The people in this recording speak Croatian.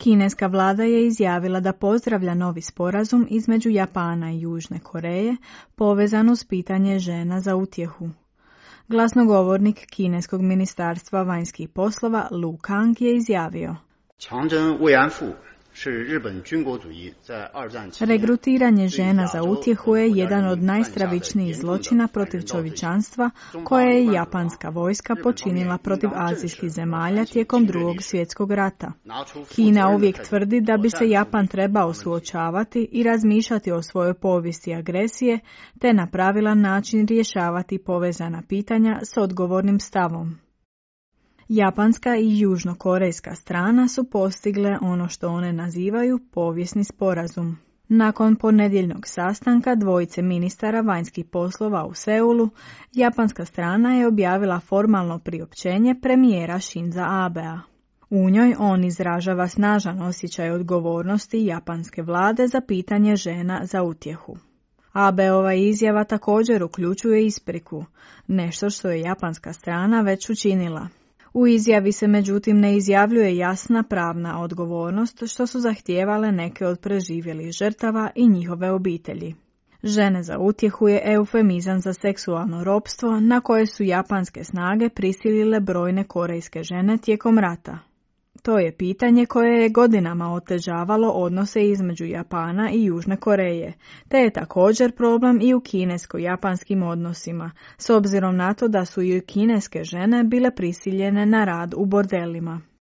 Kineska vlada je izjavila da pozdravlja novi sporazum između Japana i Južne Koreje povezan uz pitanje žena za utjehu. Glasnogovornik Kineskog ministarstva vanjskih poslova Lu Kang je izjavio: Regrutiranje žena za utjehu je jedan od najstravičnijih zločina protiv čovječanstva koje je japanska vojska počinila protiv azijskih zemalja tijekom Drugog svjetskog rata. Kina uvijek tvrdi da bi se Japan trebao suočavati i razmišljati o svojoj povijesti agresije te na pravilan način rješavati povezana pitanja s odgovornim stavom. Japanska i južnokorejska strana su postigle ono što one nazivaju povijesni sporazum. Nakon ponedjeljnog sastanka dvojice ministara vanjskih poslova u Seulu, japanska strana je objavila formalno priopćenje premijera Shinza Abea. U njoj on izražava snažan osjećaj odgovornosti japanske vlade za pitanje žena za utjehu. Abeova izjava također uključuje ispriku, nešto što je japanska strana već učinila. U izjavi se međutim ne izjavljuje jasna pravna odgovornost što su zahtijevale neke od preživjelih žrtava i njihove obitelji. Žene za utjehu je eufemizam za seksualno ropstvo na koje su japanske snage prisilile brojne korejske žene tijekom rata. To je pitanje koje je godinama otežavalo odnose između Japana i Južne Koreje, te je također problem i u kinesko-japanskim odnosima, s obzirom na to da su i kineske žene bile prisiljene na rad u bordelima.